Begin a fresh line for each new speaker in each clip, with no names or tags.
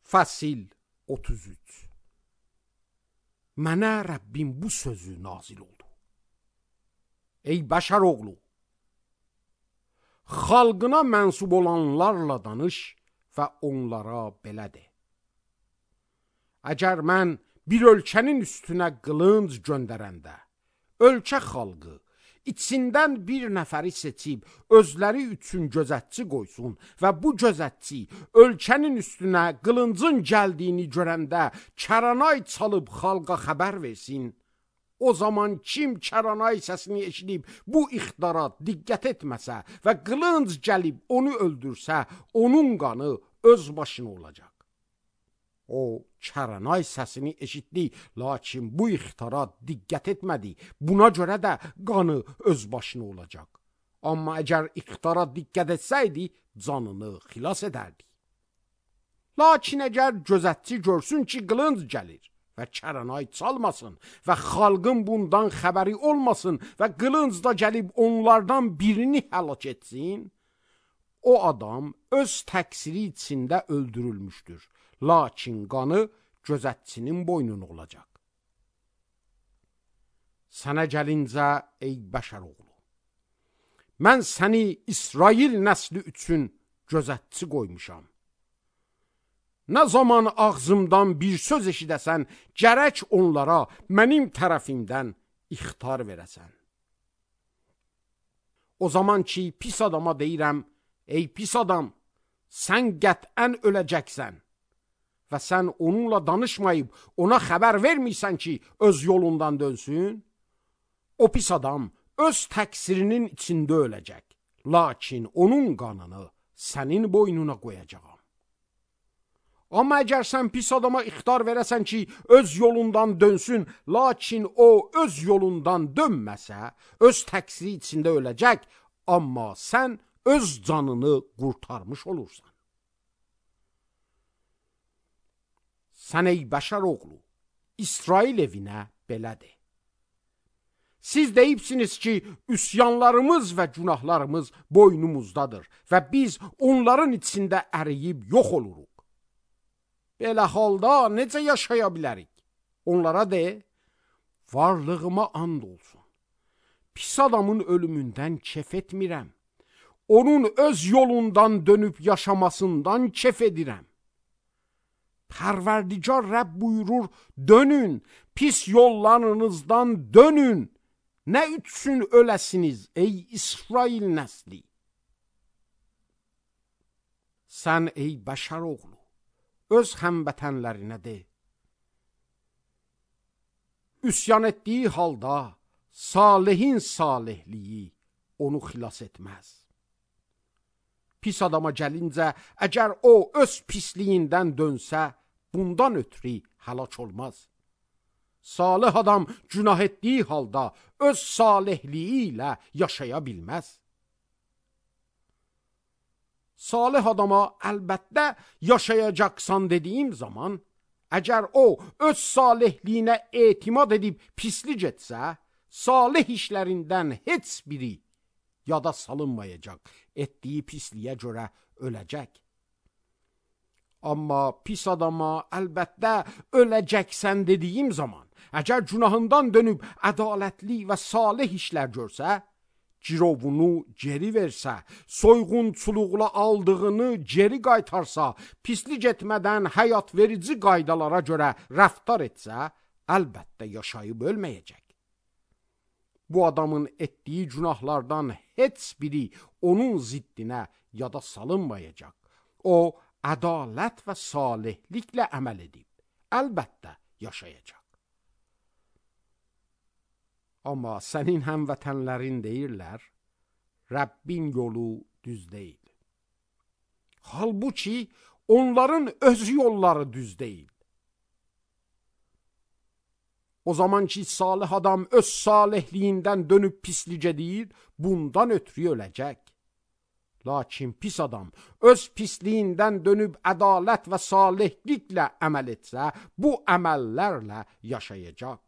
Fəsil 33. Mənə Rəbbim bu sözü nazil oldu. Ey bəşər oğlu, xalqına mənsub olanlarla danış və onlara belə de. Əgər mən bir ölkənin üstünə qılınc göndərəndə, ölkə xalqı içindən bir nəfəri seçib özləri üçün gözətçi qoysun və bu gözətçi ölkənin üstünə qılıncın gəldiyini görəndə kəranay çalıb xalqa xəbər versin, o zaman kim kəranay səsini eşidib bu ixtara diqqət etməsə və qılınc gəlib onu öldürsə, onun qanı öz başına olacaq. O kəranay səsini eşitdi, lakin bu ixtara diqqət etmədi. Buna görə də qanı öz başına olacaq. Amma əgər ixtara diqqət etsəydi, canını xilas edərdi. Lakin əgər gözətçi görsün ki, qılınc gəlir və kəranay çalmasın və xalqın bundan xəbəri olmasın və qılınc da gəlib onlardan birini həlak etsin, o adam öz təqsiri içində öldürülmüşdür. Lakin qanı gözətçinin boynuna olacaq. Sənə gəlincə, ey bəşər oğlu, mən səni İsrail nəsli üçün gözətçi qoymuşam. Nə zaman ağzımdan bir söz eşidəsən, gərək onlara mənim tərəfimdən ixtar verəsən. O zaman ki, pis adama deyirəm, ey pis adam, sən qətən öləcəksən və sən onunla danışmayıb ona xəbər vermirsən ki, öz yolundan dönsün, o pis adam öz təqsirinin içində öləcək, lakin onun qanını sənin boynuna qoyacağam. Amma əgər sən pis adama ixtar verəsən ki, öz yolundan dönsün, lakin o öz yolundan dönməsə, öz təqsiri içində öləcək, amma sən öz canını qurtarmış olursan. Sən ey bəşər oğlu, İsrail evinə belə de. Siz deyibsiniz ki, üsyanlarımız və günahlarımız boynumuzdadır və biz onların içində əriyib yox oluruq. Belə halda necə yaşaya bilərik? Onlara de, varlığıma and olsun. Pis adamın ölümündən kef etmirəm. Onun öz yolundan dönüb yaşamasından kef edirəm. Pərverdigar Rəbb buyurur, dönün, pis yollarınızdan dönün. Nə üçün öləsiniz, ey İsrail nəsli? Sən ey bəşər oğlu, öz həmvətənlərinə de. Üsyan etdiyi halda salihin salihliyi onu xilas etməz. Pis adama gəlincə, əgər o öz pisliyindən dönsə, bundan ötürü həlak olmaz. Salih adam günah etdiyi halda öz salihliyi ilə yaşaya bilməz. Salih adama əlbəttə yaşayacaqsan dediyim zaman, əgər o öz salihliyinə etimad edib pislik etsə, salih işlərindən heç biri yada salınmayacaq, etdiyi pisliyə görə öləcək. Amma pis adama əlbəttə öləcəksən dediyim zaman, əgər günahından dönüb ədalətli və salih işlər görsə, girovunu geri versə, soyğunçuluqla aldığını geri qaytarsa, pislik etmədən həyat verici qaydalara görə rəftar etsə, əlbəttə yaşayıb ölməyəcək. Bu adamın etdiyi günahlardan heç biri onun ziddinə yada salınmayacaq. O, ədalət və salihliklə əməl edib, əlbəttə yaşayacaq. Amma sənin həmvətənlərin deyirlər, Rəbbin yolu düz deyil. Halbuki onların öz yolları düz deyil. O zaman ki, salih adam öz salihliyindən dönüb pislik edir, bundan ötürü öləcək. Lakin pis adam öz pisliyindən dönüb ədalət və salihliklə əməl etsə, bu əməllərlə yaşayacaq.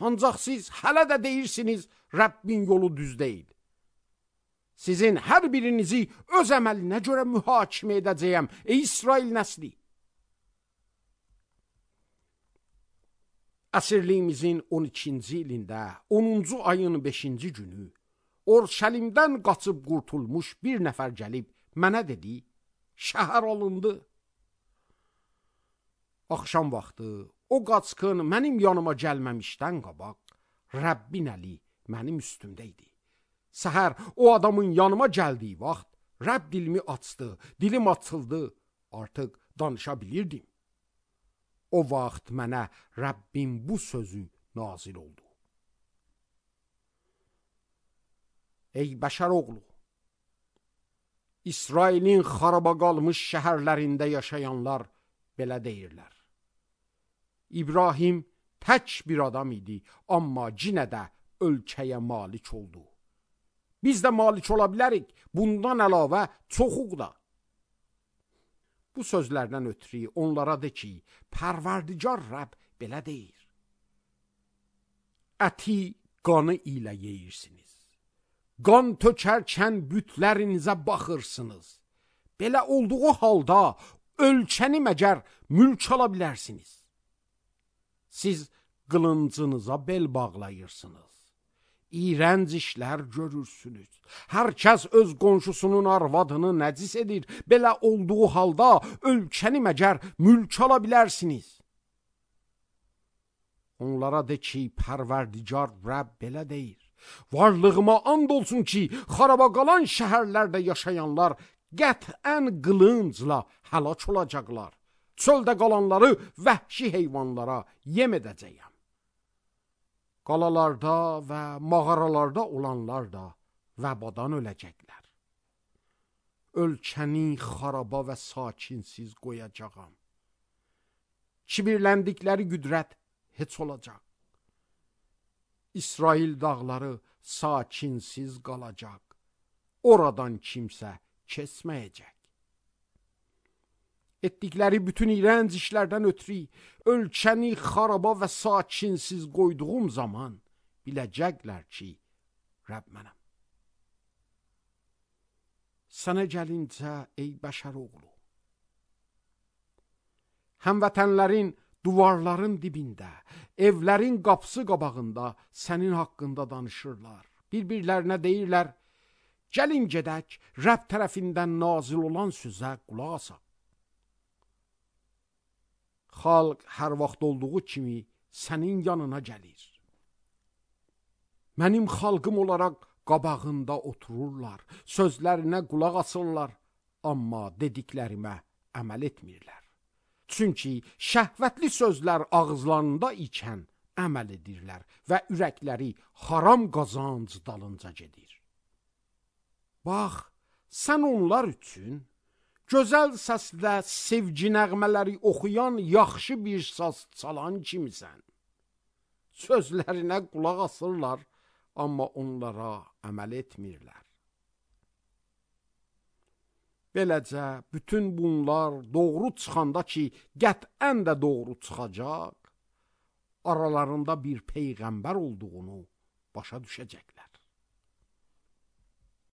Ancaq siz hələ də deyirsiniz, Rəbbin yolu düz deyil. Sizin hər birinizi öz əməlinə görə mühakimə edəcəyəm, ey İsrail nəsli. Əsirliyimizin 12-ci ilində, 10-cu ayın 5-ci günü, Orşəlimdən qaçıb qurtulmuş bir nəfər gəlib mənə dedi, şəhər alındı. Axşam vaxtı o qaçqın mənim yanıma gəlməmişdən qabaq, Rəbbin əli mənim üstümdə idi. Səhər o adamın yanıma gəldiyi vaxt, Rəbb dilimi açdı, dilim açıldı, artıq danışa bilirdim. O vaxt mənə Rəbbin bu sözü nazil oldu. Ey bəşər oğlu, İsrailin xaraba qalmış şəhərlərində yaşayanlar belə deyirlər. İbrahim tək bir adam idi, amma yenə də ölkəyə malik oldu. Biz də malik ola bilərik, bundan əlavə çoxuq da. Bu sözlərdən ötürü onlara de ki, Pərverdigar Rəbb belə deyir. Əti qanı ilə yeyirsiniz. Qan tökərkən bütlərinizə baxırsınız. Belə olduğu halda ölkəni məgər mülk ala bilərsiniz. Siz qılıncınıza bel bağlayırsınız. İğrənc işlər görürsünüz. Hər kəs öz qonşusunun arvadını nəcis edir. Belə olduğu halda ölkəni məgər mülk ala bilərsiniz. Onlara de ki, Pərverdigar Rəbb belə deyir. Varlığıma and olsun ki, xaraba qalan şəhərlərdə yaşayanlar qətən qılıncla həlak olacaqlar. Çöldə qalanları vəhşi heyvanlara yem edəcəyəm. Qalalarda və mağaralarda olanlar da vəbadan öləcəklər. Ölkəni xaraba və sakinsiz qoyacağam. Kibirləndikləri qüdrət heç olacaq. İsrail dağları sakinsiz qalacaq. Oradan kimsə keçməyəcək. Etdikləri bütün iğrənc işlərdən ötürü ölkəni xaraba və sakinsiz qoyduğum zaman biləcəklər ki, Rəbb mənəm. Sənə gəlincə, ey bəşər oğlu, həmvətənlərin duvarların dibində, evlərin qapısı qabağında sənin haqqında danışırlar. Bir-birlərinə deyirlər, gəlin gedək, Rəbb tərəfindən nazil olan sözə qulaq asaq. Xalq hər vaxt olduğu kimi sənin yanına gəlir. Mənim xalqım olaraq qabağında otururlar, sözlərinə qulaq asırlar, amma dediklərimə əməl etmirlər. Çünki şəhvətli sözlər ağızlarında ikən əməl edirlər və ürəkləri haram qazanc dalınca gedir. Bax, sən onlar üçün gözəl səslə sevgi nəğmələri oxuyan yaxşı bir saz çalan kimisən. Sözlərinə qulaq asırlar, amma onlara əməl etmirlər. Beləcə, bütün bunlar doğru çıxanda ki, qətən də doğru çıxacaq, aralarında bir peyğəmbər olduğunu başa düşəcəklər.